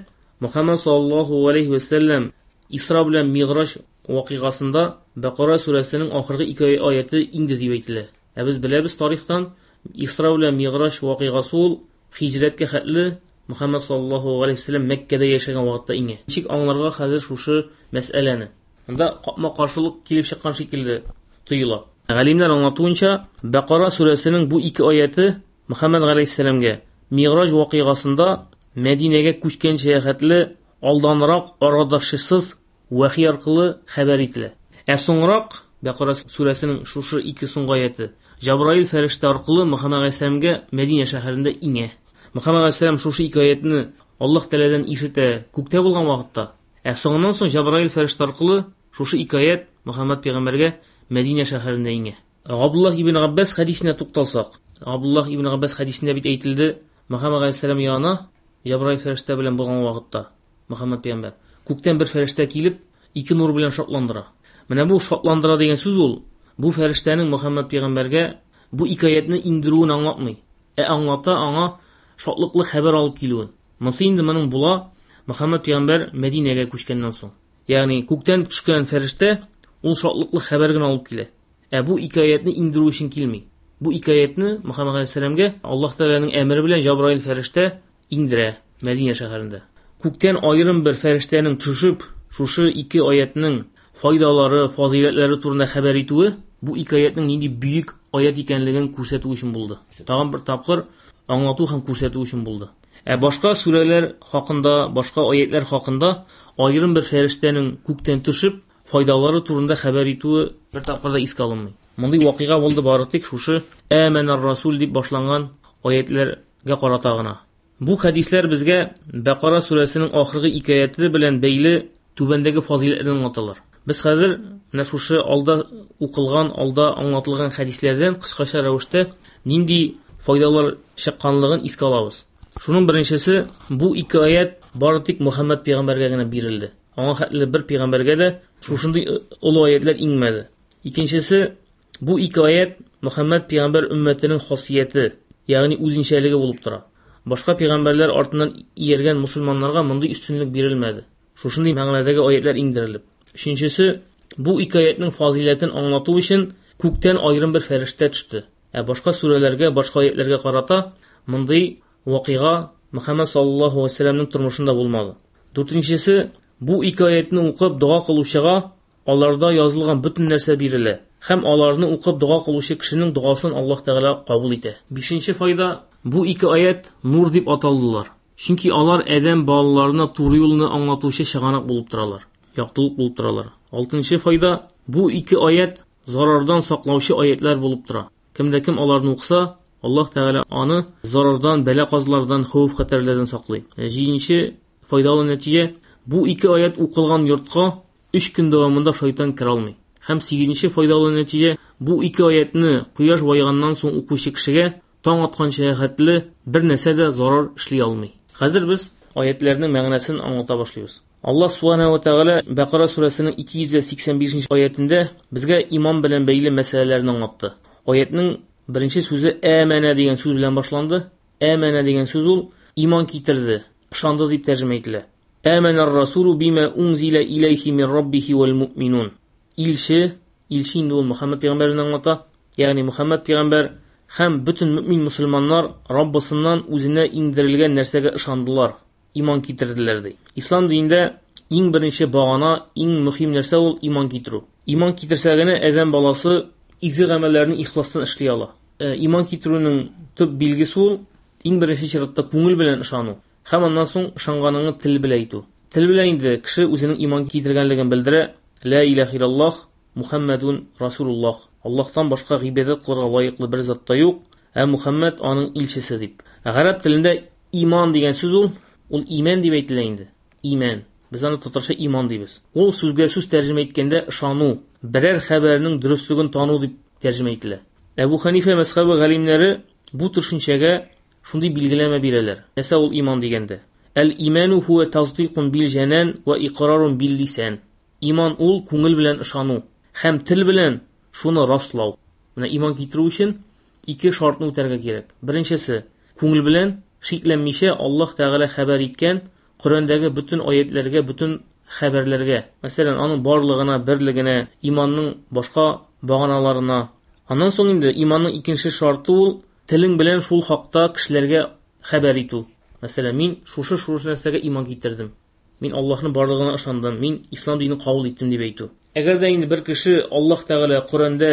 Мөхәммәд саллаллаһу алейһи ва сәлләм Исра белән Мигъраҗ вакыйгасында Бакара сүрәсенең ахыргы ике аяты инде дип әйтелә. Ә без беләбез тарихтан Исра белән Мигъраҗ вакыйгасы ул һиҗрәткә хәтле Мөхәммәд саллаллаһу алейһи ва сәлләм Мәккәдә яшәгән вакытта иңә. Ничек аңларга хәзер шушы мәсьәләне? Монда капма-каршылык килеп чыккан шикелле тоела. Галимнәр аңлатуынча, Бакара сүрәсенең бу ике аяты Мөхәммәд галәйһиссәламгә Мигъраҗ вакыйгасында Мәдинәгә күчкәнчә хәтле алданрак арадашчысыз вәхи аркылы хәбәр ителә. Ә соңрак Бакара сүрәсенең шушы ике соңгы аяты Җабраил фәрештә аркылы Мөхәммәд галәйһиссәламгә Мәдинә шәһәрендә иңә. Мөхәммәд галәйһиссәлам шушы ике аятны Аллаһ Тәгаләдән ишетә күктә булган вакытта. Ә соңыннан соң Җабраил фәрештә аркылы шушы ике аят Мөхәммәд пәйгамбәргә Мәдинә шәһәрендә иңә. Габдуллаһ ибн Габбас хәдисенә тукталсак, Габдуллаһ ибн Габбас хәдисендә бит әйтелде, Мөхәммәд галәйһиссәлам янына Җабраил фәрештә белән булган вакытта Мөхәммәд пәйгамбәр күктән бер фәрештә килеп ике нур белән шатландыра. Менә бу шатландыра дигән сүз ул бу фәрештәнең Мөхәммәд пәйгамбәргә бу ике аятны индерүен аңлатмый. Ә аңлата аңа шатлыклы хәбәр алып килүен. Монысы инде моның була Мөхәммәд пәйгамбәр Мәдинәгә күчкәннән соң. Ягъни күктән төшкән фәрештә ул шатлыклы хәбәр генә алып килә. Ә бу ике аятны индерү өчен килми. Бу ике аятны Мөхәммәд галәйһиссәламгә Аллаһ Тәгаләнең әмере белән Җабраил фәрештә индерә Мәдинә шәһәрендә. Күктән аерым бер фәрештәнең төшеп, шушы ике аятның файдалары, фазыйләтләре турында хәбәр итүе, бу ике аятның нинди бөек аят икәнлеген күрсәтү өчен булды. Тагын бер тапкыр аңлату һәм күрсәтү өчен булды. Ә башка сүрәләр хакында, башка аятлар хакында аерым бер фәрештәнең күктән төшеп файдалары турында хәбәр итүе бер тапкыр да искә алынмый. Мондый вакыйга булды бары тик шушы Әмәнәр Расул дип башланган аятларга карата гына. Бу хәдисләр безгә Бәкара сүрәсенең ахыргы ике аяты белән бәйле түбәндәге фазыйләтләрне аңлаталар. Без хәзер менә шушы алда укылган, алда аңлатылган хәдисләрдән кыскача рәвештә нинди файдалар чыкканлыгын искә алабыз. Шуның беренчесе, бу ике аят бары тик Мөхәммәд пәйгамбәргә генә бирелде. Аңа хәтле бер пәйгамбәргә дә шушындый олы аятлар иңмәде. Икенчесе, бу ике аят Мөхәммәд пәйгамбәр өммәтенең хасияте, ягъни үзенчәлеге булып тора. Башка пәйгамбәрләр артыннан ияргән мусульманнарга мондый өстенлек бирелмәде. Шушындый мәгънәдәге аятлар иңдерелеп. Өченчесе, бу ике аятның фазыйләтен аңлату өчен күктән аерым бер фәрештә төште. Ә башка сүрәләргә, башка аятларга карата мондый вакыйга Мөхәммәд саллаллаһу алейһи ва сәлләмнең тормышында булмады. Дүртенчесе, бу ике аятны укып дога кылучыга аларда язылган бөтен нәрсә бирелә һәм аларны укып дога кылучы кешенең догасын Аллаһ Тәгалә кабул итә. Бишенче файда, бу ике аят нур дип аталдылар. Чөнки алар адәм балаларына туры юлны аңлатучы чыганак булып торалар, яктылык булып торалар. Алтынчы файда, бу ике аят зарардан саклаучы аятлар булып тора. Кемдә кем аларны укыса, Аллаһ Тәгалә аны зарардан, бәла-казалардан, хәвеф-хәтәрләрдән саклый. Җиденче файдалы нәтиҗә, бу ике аят укылган йортка өч көн дәвамында шайтан керә алмый. Һәм сигезенче файдалы нәтиҗә, бу ике аятны кояш баеганнан соң укучы кешегә таң атканча хәтле бер нәрсә дә зарар эшли алмый. Хәзер без аятларның мәгънәсен аңлата башлыйбыз. Аллаһ субханаһу ва тәгалә Бәкара сүрәсенең ике йөз сиксән бишенче аятендә безгә иман белән бәйле мәсьәләләрне аңлатты. Аятның беренче сүзе әмәнә дигән сүз белән башланды. Әмәнә дигән сүз ул иман китерде, ышанды дип тәрҗемә ителә. Әмәнәр расулу бима унзила иләйхи мин раббихи вал муъминун. Илче, илче инде ул Мөхәммәд пәйгамбәрне аңлата. Ягъни Мөхәммәд пәйгамбәр һәм бөтен мөмин мусульманнар Раббысыннан үзенә иңдерелгән нәрсәгә ышандылар, иман китерделәр ди. Ислам динендә иң беренче багана, иң мөһим нәрсә ул иман китерү. Иман китерсә генә адәм баласы изге гамәлләрне ихластан эшли ала. Э, иман китерүнең төп билгесе ул иң беренче чиратта күңел белән ышану һәм аннан соң ышанганыңны тел белән әйтү. Тел белән инде кеше үзенең иман китергәнлеген белдерә. Ла илаһа иллаллаһ Мухаммадун Расулуллаһ. Аллаһтан башка гыйбадәт кылырга лаеклы бер зат та юк, ә Мухаммад аның илчесе дип. Гарәп телендә иман дигән сүз ул, ул иман дип әйтелә инде. Иман. Без аны татарча иман дибез. Ул сүзгә сүз тәрҗемә иткәндә ышану, берәр хәбәрнең дөреслеген тану дип тәрҗемә ителә. Әбу Ханифа мәзһәбе галимнәре бу төшенчәгә шундый билгеләмә бирәләр. Нәрсә ул иман дигәндә? Әл-иману хуа тасдикун бил җанан ва иқрарун бил лисан. Иман ул күңел белән ышану һәм тел белән шуны раслау. Менә иман китерү өчен ике шартны үтәргә кирәк. Беренчесе, күңел белән шикләнмичә Аллаһ Тәгалә хәбәр иткән Коръәндәге бөтен аятларга, бөтен хәбәрләргә, мәсәлән, аның барлыгына, берлегенә, иманның башка баганаларына. Аннан соң инде иманның икенче шарты ул телең белән шул хакта кешеләргә хәбәр итү. Мәсәлән, мин шушы шушы нәрсәгә иман китердем. Мин Аллаһның барлыгына ышандым, мин ислам динен кабул иттем дип әйтү. Әгәр дә инде бер кеше Аллаһ Тәгалә Коръәндә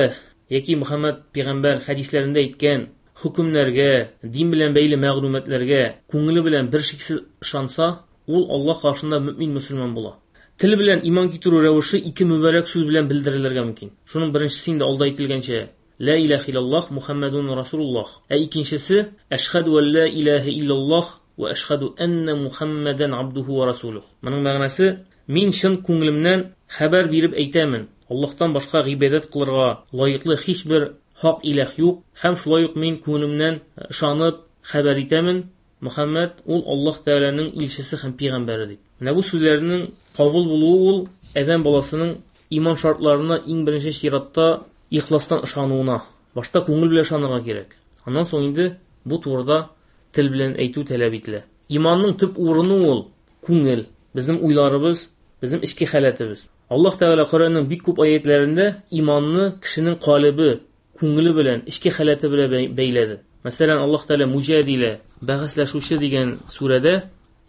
яки Мөхәммәд пәйгамбәр хәдисләрендә әйткән хөкемнәргә, дин белән бәйле мәгълүматларга күңеле белән бер шиксез ышанса, ул Аллаһ каршында мөмин мөселман була. Тел белән иман китерү рәвеше ике мөбарәк сүз белән белдерелергә мөмкин. Шуның беренчесе инде алда әйтелгәнчә, Ла илаһа иллаллаһ Мухаммадун Расулуллаһ. Ә икенчесе, Әшһәду ан ла илаһа иллаллаһ ва әшһәду анна Мухаммадан абдуху ва расулух. Моның мәгънәсе, мин чын күңелемнән хәбәр биреп әйтәмен, Аллаһтан башка гыйбадәт кылырга лаеклы һичбер хак илаһ юк, һәм шулай ук мин күңелемнән ышанып хәбәр итәмен, Мөхәммәд ул Аллаһ Тәгаләнең илчесе һәм пәйгамбәре дип. Менә бу сүзләрнең кабул булуы ул адәм баласының иман шартларына иң беренче чиратта ихластан ышануына. Башта күңел белән ышанырга кирәк. Аннан соң инде бу турыда тел белән әйтү таләп ителә. Иманның төп урыны ул күңел, безнең уйларыбыз, безнең эчке халәтебез. Аллаһ Тәгалә Коръәннең бик күп аятларында иманны кешенең калебе, күңеле белән, эчке халәте белән бәйләде. Мәсәлән, Аллаһ Тәгалә Муҗадилә, бәхәсләшүче дигән сүрәдә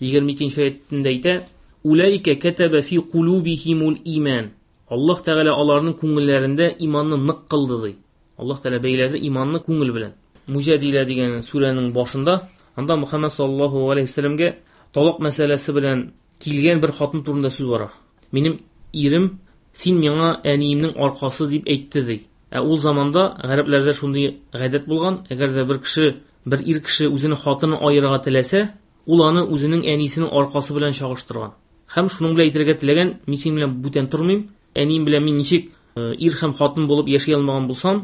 егерме икенче аятендә әйтә: Улайка катаба фи кулубихимул иман. Аллаһ Тәгалә аларның күңелләрендә иманны нык кылды ди. Аллаһ Тәгалә бәйләде иманны күңел белән. Муҗадилә дигән сүрәнең башында анда Мөхәммәд саллаллаһу алейһи ва сәлләмгә талак мәсьәләсе белән килгән бер хатын турында сүз бара. Минем ирем син миңа әниемнең аркасы дип әйтте ди. Ә ул заманда гарәпләрдә шундый гадәт булган, әгәр дә бер кеше, бер ир кеше үзенең хатынын аерырга теләсә, ул аны үзенең әнисенең аркасы белән чагыштырган. Һәм шуның белән әйтергә теләгән, мин синең белән бүтән тормыйм, әнием белән мин ничек ир һәм хатын булып яши алмаган булсам,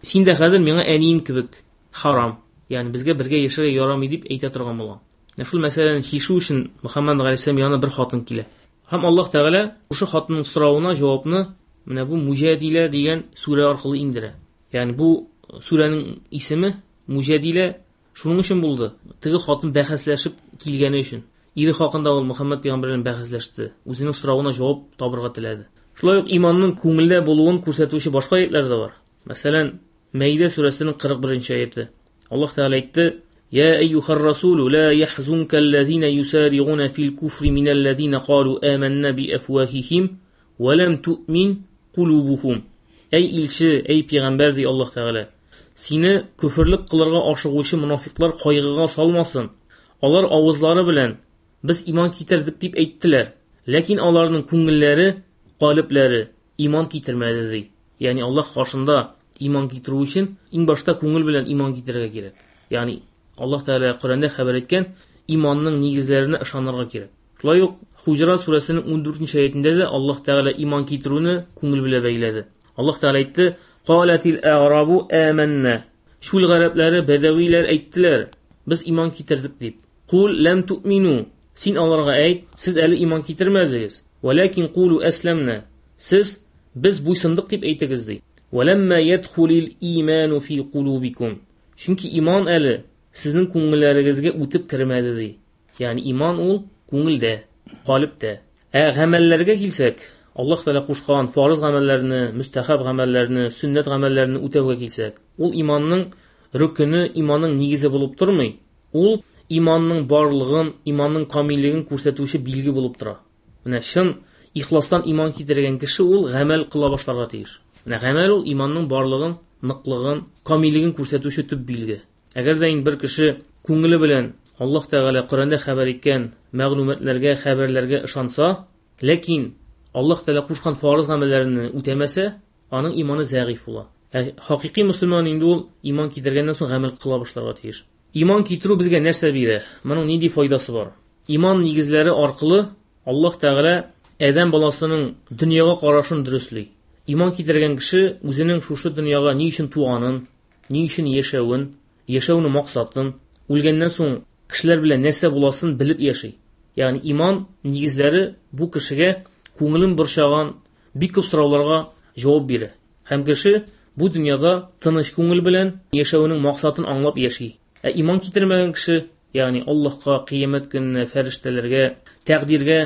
син дә хәзер миңа әнием кебек харам, ягъни безгә бергә яшәргә ярамый дип әйтә торган булган. Менә шул мәсьәләне чишү өчен Мөхәммәд галәйһиссәлам янына бер хатын килә. Һәм Аллаһ Тәгалә шушы хатынның соравына җавапны менә бу Муҗадилә дигән сүрә аркылы иңдерә. Ягъни бу сүрәнең исеме Муҗадилә шуның өчен булды. Теге хатын бәхәсләшеп килгәне өчен. Ире хакында ул Мөхәммәд пәйгамбәр белән бәхәсләште. Үзенең соравына җавап табырга теләде. Шулай ук иманның күңелдә булуын күрсәтүче башка аятлар да бар. Мәсәлән, Мәйдә сүрәсенең кырык беренче аяты. Аллаһ Тәгалә әйтте: "Я әйюхар расулу ла яхзунка аллазина юсари'уна фил куфри миналлазина калу аманна би афвахихим ва лам ту'мин кулубухум." Эй илче, эй пәйгамбәр ди Аллаһ Тәгалә, сине күферлек кылырга ашыгучы мунафиклар кайгыга салмасын. Алар авызлары белән без иман китердек дип әйттеләр, ләкин аларның күңелләре, калебләре иман китермәде ди. Ягъни Аллаһ каршында иман китерү өчен иң башта күңел белән иман китерергә кирәк. Ягъни Аллаһ Тәгалә Коръәндә хәбәр иткән иманның нигезләренә ышанырга кирәк. Шулай ук Хуҗра сүрәсенең ундүртенче аятендә дә Аллаһ Тәгалә иман китерүне күңел белән бәйләде. Аллаһ Тәгалә әйтте: "Калатил а'рабу аманна." Шул гарәпләре, бәдәвиләр әйттеләр, без иман китердек дип. Кул лам ту'мину. Син аларга әйт, сез әле иман китермәдегез. Валакин кулу асламна. Сез без буйсындык дип әйтегез ди. Валамма ядхулил иману фи кулубикум. Чөнки иман әле сезнең күңелләрегезгә үтеп кермәде ди. Ягъни иман ул күңелдә, калептә. Ә гамәлләргә килсәк, Аллаһ Тәгалә кушкан фарыз гамәлләрне, мөстәхәб гамәлләрне, сөннәт гамәлләрне үтәүгә килсәк, ул иманның рөкене, иманның нигезе булып тормый. Ул иманның барлыгын, иманның камиллеген күрсәтүче билге булып тора. Менә чын ихластан иман китергән кеше ул гамәл кыла башларга тиеш. Менә гамәл ул иманның барлыгын, ныклыгын, камиллеген күрсәтүче төп билге. Әгәр дә инде бер кеше күңеле белән Аллаһ Тәгалә Коръәндә хәбәр иткән мәгълүматларга, хәбәрләргә ышанса, ләкин Аллаһ Тәгалә кушкан фарыз гамәлләрне үтәмәсә, аның иманы зәгыйф була. Ә хакыйкый мөселман инде ул иман китергәннән соң гамәл кыла башларга тиеш. Иман китерү безгә нәрсә бирә? Моның нинди файдасы бар? Иман нигезләре аркылы Аллаһ Тәгалә адәм баласының дөньяга карашын дөресли. Иман китергән кеше үзенең шушы дөньяга ни өчен туганын, ни өчен яшәвен, яшәүнең максатын, үлгәннән соң кешеләр белән нәрсә буласын белеп яши. Ягъни иман нигезләре бу кешегә күңелен борчыган бик күп сорауларга җавап бирә. Һәм кеше бу дөньяда тыныч күңел белән яшәүнең максатын аңлап яши. Ә иман китермәгән кеше, ягъни Аллаһка, кыямәт көненә, фәрештәләргә, тәкъдиргә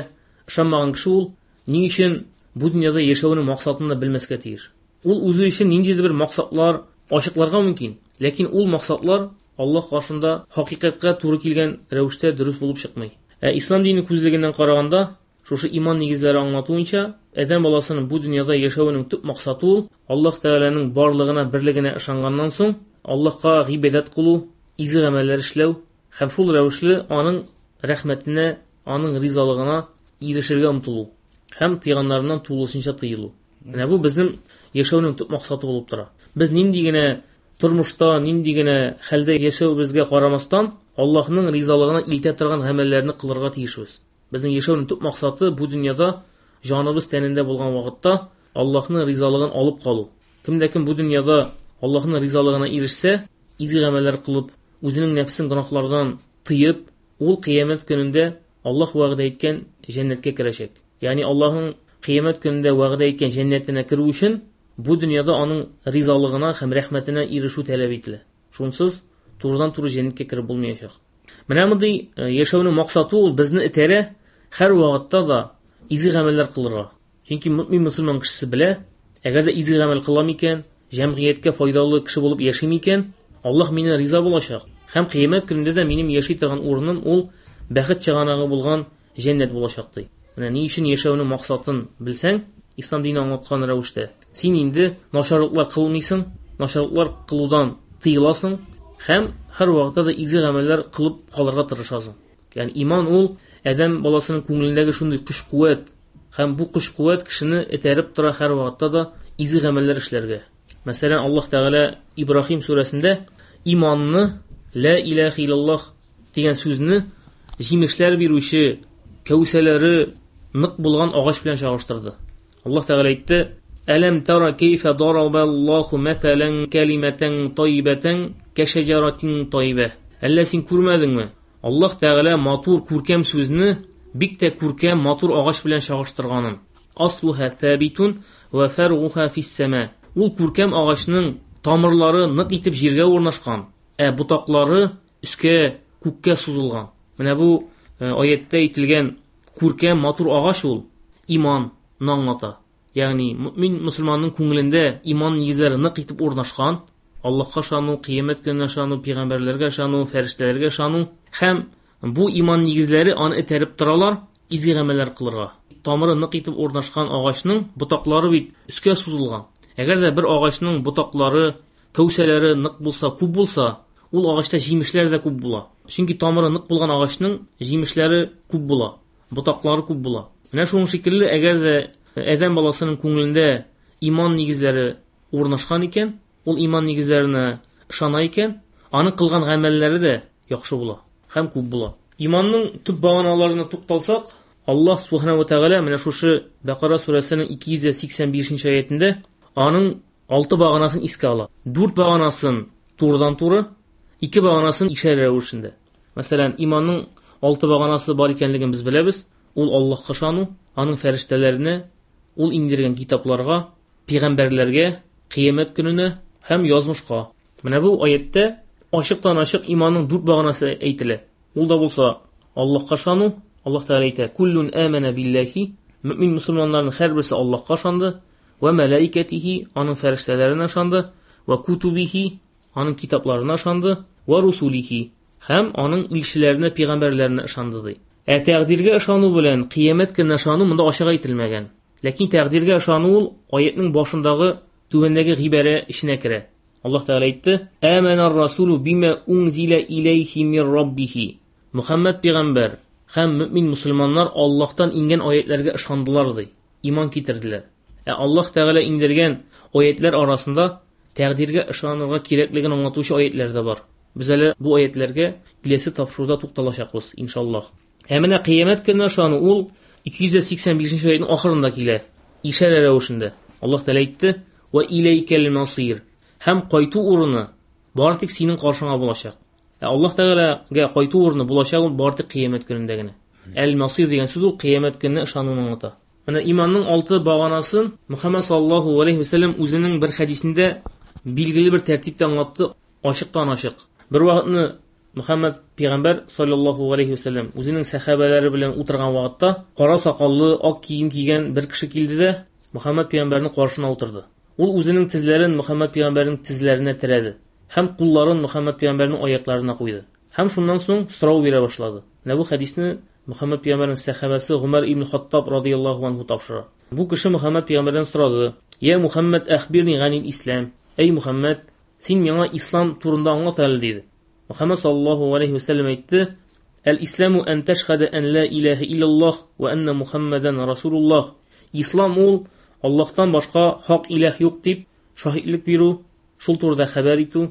ышанмаган кеше ул ни өчен бу дөньяда яшәүнең максатын да белмәскә тиеш. Ул үзе өчен ниндидер бер максатлар ачыкларга мөмкин, ләкин ул максатлар Аллаһ каршында хакыйкатькә туры килгән рәвештә дөрес булып чыкмый. Ә ислам дине күзлегеннән караганда, шушы иман нигезләре аңлатуынча, адәм баласының бу дөньяда яшәүенең төп максаты ул Аллаһ Тәгаләнең барлыгына, берлегенә ышанганнан соң Аллаһка гыйбадәт кылу, изге гамәлләр эшләү һәм шул рәвешле аның рәхмәтенә, аның ризалыгына ирешергә омтылу һәм тыйганнарыннан тулысынча тыелу. Менә бу безнең яшәүнең төп максаты булып тора. Без нинди генә тормышта, нинди генә хәлдә яшәүебезгә карамастан, Аллаһның ризалыгына илтә торган гамәлләрне кылырга тиешбез. Безнең яшәүнең төп максаты бу дөньяда җаныбыз тәнендә булган вакытта Аллаһның ризалыгын алып калу. Кемдә кем бу дөньяда Аллаһның ризалыгына ирешсә, изге гамәлләр кылып, үзенең нәфсен гөнаһлардан тыеп, ул кыямәт көнендә Аллаһ вәгъдә иткән җәннәткә керәчәк. Ягъни Аллаһның кыямәт көнендә вәгъдә иткән җәннәтенә керү өчен бу дөньяда аның ризалыгына һәм рәхмәтенә ирешү таләп ителә. Шунсыз турыдан-туры җәннәткә кереп булмаячак. Менә мондый яшәүнең максаты ул безне этәрә һәр вакытта да изге гамәлләр кылырга. Чөнки мөмин мөселман кешесе белә, әгәр дә изге гамәл кылам икән, җәмгыятькә файдалы кеше булып яшим икән, Аллаһ мине риза булачак. Һәм кыямәт көнендә дә минем яши торган урыным ул бәхет чыганагы булган җәннәт булачак ди. Менә ни өчен яшәүнең максатын белсәң, ислам дине аңлаткан рәвештә, син инде начарлыклар кылмыйсың, начарлыклар кылудан тыеласың һәм һәр вакытта да изге гамәлләр кылып калырга тырышасың. Ягъни иман ул адәм баласының күңелендәге шундый көч-куәт, һәм бу көч-куәт кешене этәреп тора һәр вакытта да изге гамәлләр эшләргә. Мәсәлән, Аллаһ Тәгалә Ибраһим сүрәсендә иманны ла илаһа иллаллаһ дигән сүзне җимешләр бирүче кәүсәләре нык булган агач белән чагыштырды. Аллаһ Тәгалә әйтте: "Әләм тара кайфа дарабаллаһу мәсәлән калиматан тайибатан кашаҗаратин тайиба". Әллә син күрмәдеңме? Аллаһ Тәгалә матур күркәм сүзне бик тә күркәм матур агач белән чагыштырганын. Аслуха сабитун ва фаргуха фис-сама. Ул күркәм агачның тамырлары нык итеп җиргә урнашкан, ә ботаклары өскә, күккә сузылган. Менә бу аятта әйтелгән күркәм матур агач ул иманны аңлата. Ягъни мөмин мөселманның күңелендә иман нигезләре нык итеп урнашкан, Аллаһка ышану, кыямәт көненә ышану, пәйгамбәрләргә ышану, фәрештәләргә ышану һәм бу иман нигезләре аны этәреп торалар изге гамәлләр кылырга. Тамыры нык итеп урнашкан агачның ботаклары бит өскә сузылган. Әгәр дә бер агачның ботаклары, кәүсәләре нык булса, күп булса, ул агачта җимешләр дә күп була. Чөнки тамыры нык булган агачның җимешләре күп була, ботаклары күп була. Менә шуның шикелле, әгәр дә адәм баласының күңелендә иман нигезләре урнашкан икән, ул иман нигезләренә ышана икән, аның кылган гамәлләре дә яхшы була һәм күп була. Иманның төп баганаларына тукталсак, Аллаһ субхана ва тааля менә шушы Бакара сүрәсенең ике йөз сиксән бишенче аятендә аның алты баганасын искә ала. Дүрт баганасын турыдан-туры, ике баганасын ишарә рәвешендә. Мәсәлән, иманның алты баганасы бар икәнлеген без беләбез. Ул Аллаһка ышану, аның фәрештәләренә, ул иңдергән китапларга, пәйгамбәрләргә, кыямәт көненә һәм язмышка. Менә бу аятта ачыктан-ачык иманның дүрт баганасы әйтелә. Ул да булса Аллаһка ышану, Аллаһ Тәгалә әйтә: "Куллун амана биллахи", мөмин мөселманнарның һәрберсе Аллаһка ышанды, ва малаикатихи, аның фәрештәләренә ышанды, ва кутубихи, аның китапларына ышанды, ва русулихи, һәм аның илчеләренә, пәйгамбәрләренә ышанды ди. Ә тәкъдиргә ышану белән кыямәт көненә ышану монда ачык әйтелмәгән. Ләкин тәкъдиргә ышану ул аятның башындагы түбәндәге гыйбарә эченә керә. Аллаһ Тәгалә әйтте: "Аманар расулу бима унзила илейхи мир раббихи". Мөхәммәд пәйгамбәр һәм мөмин мөселманнар Аллаһтан иңгән аятларга ышандылар ди, иман китерделәр. Ә Аллаһ Тәгалә иңдергән аятлар арасында тәкъдиргә ышанырга кирәклеген аңлатучы аятлар да бар. Без әле бу аятларга киләсе тапшыруда тукталачакбыз, иншаллаһ. Ә менә кыямәт көненә ышану ул ике йөз сиксән бишенче аятның ахырында килә, ишарә рәвешендә. Аллаһ Тәгалә әйтте: "Ва иләйкәл масир", һәм кайту урыны бары тик синең каршыңа булачак. Ә Аллаһ Тәгаләгә кайту урыны булачак ул бары тик кыямәт көнендә генә. Әл-Масир дигән сүз ул кыямәт көненә ышануны аңлата. Менә иманның алты баганасын Мөхәммәд саллаллаһу алейһи ва сәлләм үзенең бер хәдисендә билгеле бер тәртиптә аңлатты, ачыктан-ачык. Бер вакытны Мөхәммәд пәйгамбәр саллаллаһу алейһи ва сәлләм үзенең сәхабәләре белән утырган вакытта кара сакаллы, ак кием кигән бер кеше килде дә Мөхәммәд пәйгамбәрнең каршына утырды. Ул үзенең тезләрен Мөхәммәд пәйгамбәрнең тезләренә терәде һәм кулларын Мөхәммәд пәйгамбәрнең аякларына куйды. Һәм шуннан соң сорау бирә башлады. Менә бу хәдисне Мөхәммәд пәйгамбәрнең сәхабәсе Гомәр ибн Хаттаб радияллаһу анһу тапшыра. Бу кеше Мөхәммәд пәйгамбәрдән сорады: "Я Мөхәммәд, әхбирни ганил ислам". Эй Мөхәммәд, син миңа ислам турында аңлат әле, диде. Мөхәммәд саллаллаһу алейһи ва сәлләм әйтте: "Әл-исламу ан ташһада ан ла илаһа иллаллаһ ва анна Мухаммадан расулуллаһ". Ислам ул Аллаһтан башка хак илаһ юк дип шаһитлек бирү, шул турыда хәбәр итү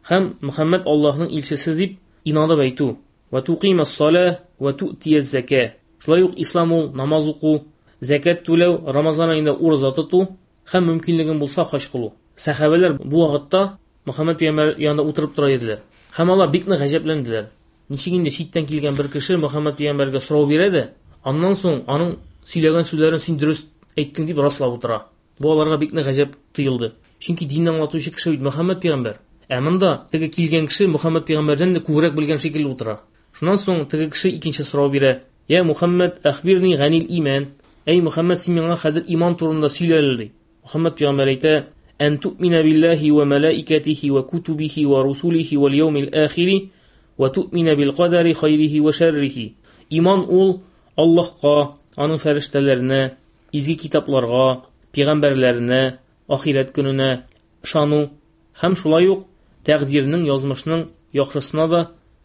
һәм Мөхәммәд Аллаһның илчесе дип инанып әйтү. Ва туқимас салах ва туътияз зака. Шулай ук ислам ул намаз уку, закат түләү, Рамазан аенда ураза тоту һәм мөмкинлегең булса хаҗ кылу. Сәхабәләр бу вакытта Мөхәммәд пәйгамбәр янында утырып тора иделәр. Һәм алар бик нык гаҗәпләнделәр. Ничек инде читтән килгән бер кеше Мөхәммәд пәйгамбәргә сорау бирә дә, аннан соң аның сөйләгән сүзләрен син дөрес әйттең дип раслап утыра. Бу аларга бик нык гаҗәп тоелды. Чөнки динне аңлатучы кеше бит Мөхәммәд пәйгамбәр. Ә монда теге килгән кеше Мөхәммәд пәйгамбәрдән дә күбрәк белгән шикелле утыра. Шуннан соң теге кеше икенче сорау бирә: "Я Мөхәммәд, әхбирни ганил иман". Әй Мөхәммәд, син миңа хәзер иман турында сөйлә әле, ди. Мөхәммәд пәйгамбәр әйтә: "Ан туъмина биллаһи ва малаикатихи ва кутубихи ва русулихи вал яумил ахири ва туъмина бил кадари хайрихи ва шаррихи". Иман ул Аллаһка, аның фәрештәләренә, изге китапларга, пәйгамбәрләренә, ахирәт көненә ышану Һәм шулай ук тәкъдирнең, язмышның яхшысына да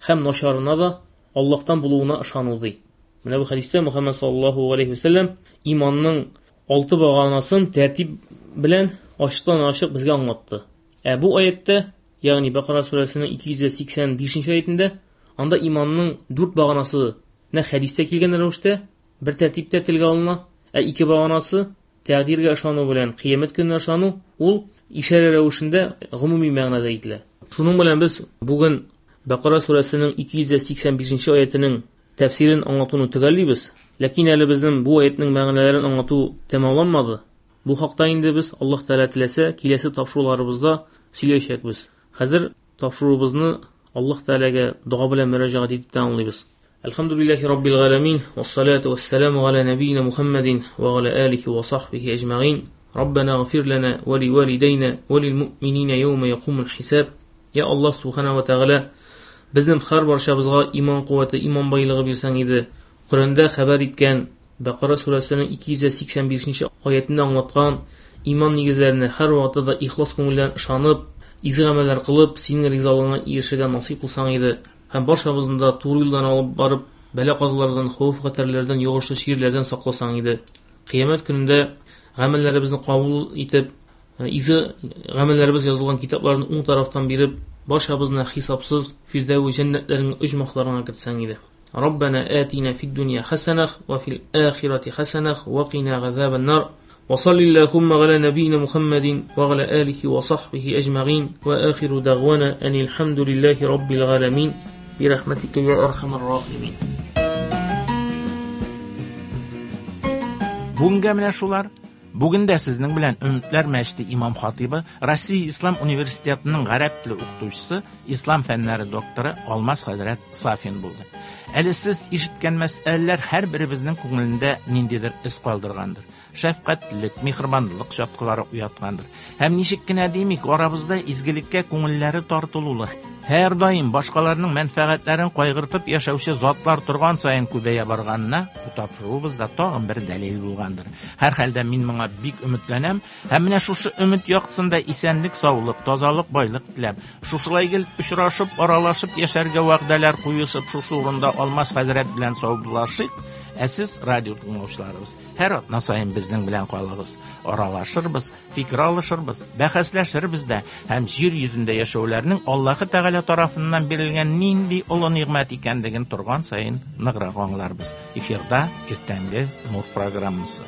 һәм начарына да Аллаһтан булуына ышану ди. Менә бу хәдистә Мөхәммәд саллаллаһу алейһи ва сәлләм иманның алты баганасын тәртип белән ачыктан-ачык безгә аңлатты. Ә бу аятта, ягъни Бакара сүрәсенең ике йөз сиксән бишенче аятында, анда иманның дүрт баганасы нә хәдистә килгән рәвештә бер тәртиптә телгә алына, ә ике баганасы тәкъдиргә ышану белән кыямәт көненә ышану, ул ишарә рәвешендә гомуми мәгънәдә әйтелә. Шуның белән без бүген Бакара сүрәсенең ике йөз сиксән бишенче аятының тәфсирен аңлатуны төгәллибез. Ләкин әле безнең бу аятның мәгънәләрен аңлату тәмамланмады. Бу хакта инде без Аллаһ Тәгалә теләсә киләсе тапшыруларыбызда сөйләячәкбез. Хәзер тапшыруыбызны Аллаһ Тәгаләгә дога белән мөрәҗәгать итеп тәмамлыйбыз. Әлхәмдүлилләһи раббил галәмин, вассалату вассаламу аля набийна Мухаммадин ва аля алихи ва сахбихи әҗмәгин. Раббана гфир лана ва ливалидайна ва лилмуъминина яума якумул хисаб. Я Аллаһ субхана ва тәгалә, безнең һәр барчабызга иман куәте, иман байлыгы бирсәң иде. Коръәндә хәбәр иткән Бакара сүрәсенең ике йөз сиксән бишенче аятында аңлаткан иман нигезләренә һәр вакытта да ихлас күңелдән ышанып, изге гамәлләр кылып, синең ризалыгыңа ирешергә насыйп кылсаң иде. Һәм барчабызны да туры юлдан алып барып, бәла-казалардан, хәвеф-хәтәрләрдән, йогышлы чирләрдән сакласаң иде. Кыямәт көнендә гамәлләребезне кабул итеп, изге гамәлләребез язылган китапларны уң тарафтан биреп, барчабызны хисапсыз Фирдәү җәннәтләренең оҗмахларына кертсәң иде. Раббана атина фид дөнья хасанах ва фил ахирати хасанах ва кина газабан нар. Ва саллиллахумма аля набийна Мухаммадин ва аля алихи ва сахбихи әҗмәгин. Ва ахиру дагвана анил хамдулиллахи раббил галәмин. Би рахматика я архамар рахимин. Бүгенгә менә шулар. Бүген дә сезнең белән Өметләр мәчете имам хатибы, Россия Ислам университетының гарәп теле укытучысы, ислам фәннәре докторы Алмаз хәзрәт Сафин булды. Әле сез ишеткән мәсьәләләр һәр беребезнең күңелендә ниндидер эз калдыргандыр. Шәфкатьлек, миһербанлылык чаткылары уяткандыр. Һәм ничек кенә димик, арабызда изгелеккә күңелләре тартылулы, һәр даим башкаларның мәнфәгатьләрен кайгыртып яшәүче затлар торган саен күбәя барганына бу тапшыруыбызда тагын бер дәлил булгандыр. Һәр хәлдә мин моңа бик өметләнәм һәм менә шушы өмет яктысында исәнлек, саулык, тазалык, байлык теләп, шушылай гел очрашып, аралашып яшәргә вәгъдәләр куешып, шушы урында Алмаз хәзрәт белән саубуллашыйк. Ә сез, радио тыңлаучыларыбыз, һәр атна саен безнең белән калыгыз. Аралашырбыз, фикер алышырбыз, бәхәсләшербез дә һәм җир йөзендә яшәүләрнең Аллаһы Тәгалә тарафыннан бирелгән нинди олы нигъмәт икәнлеген торган саен ныграк аңларбыз. Эфирда иртәнге Нур программасы.